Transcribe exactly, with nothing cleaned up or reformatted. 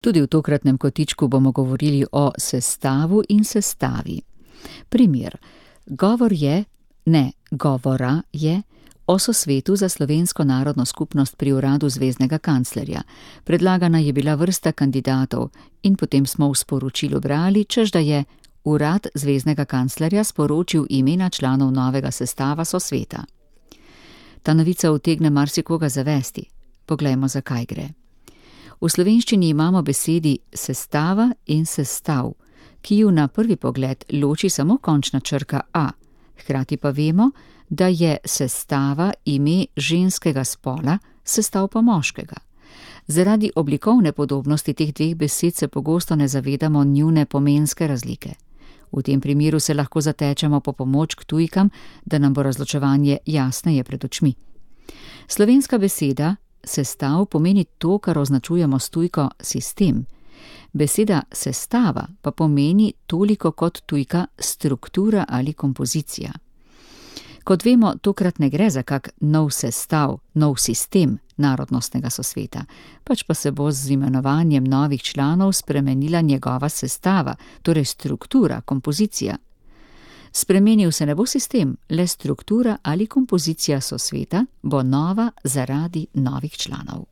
Tudi v tokratnem kotičku bomo govorili o sestavu in sestavi. Primer. Govor je, ne, govora je o sosvetu za slovensko narodno skupnost pri uradu zveznega kanclerja. Predlagana je bila vrsta kandidatov in potem smo v sporočilu brali, češ da je urad zveznega kanclerja sporočil imena članov novega sestava sosveta. Ta novica utegne marsikoga zavesti. Poglejmo, zakaj gre. V slovenščini imamo besedi sestava in sestav, ki ju na prvi pogled loči samo končna črka a, hkrati pa vemo, da je sestava ime ženskega spola, sestav pa moškega. Zaradi oblikovne podobnosti teh dveh besed se pogosto ne zavedamo njune pomenske razlike. V tem primeru se lahko zatečemo po pomoč k tujkam, da nam bo razločevanje jasneje pred očmi. Slovenska beseda sestav pomeni to, kar označujemo s tujko sistem. Beseda sestava pa pomeni toliko kot tujka struktura ali kompozicija. Kot vemo, tokrat ne gre za kak nov sestav, nov sistem narodnostnega sosveta, pač pa se bo z imenovanjem novih članov spremenila njegova sestava, torej struktura, kompozicija. Spremenil se ne bo sistem, le struktura ali kompozicija sosveta bo nova zaradi novih članov.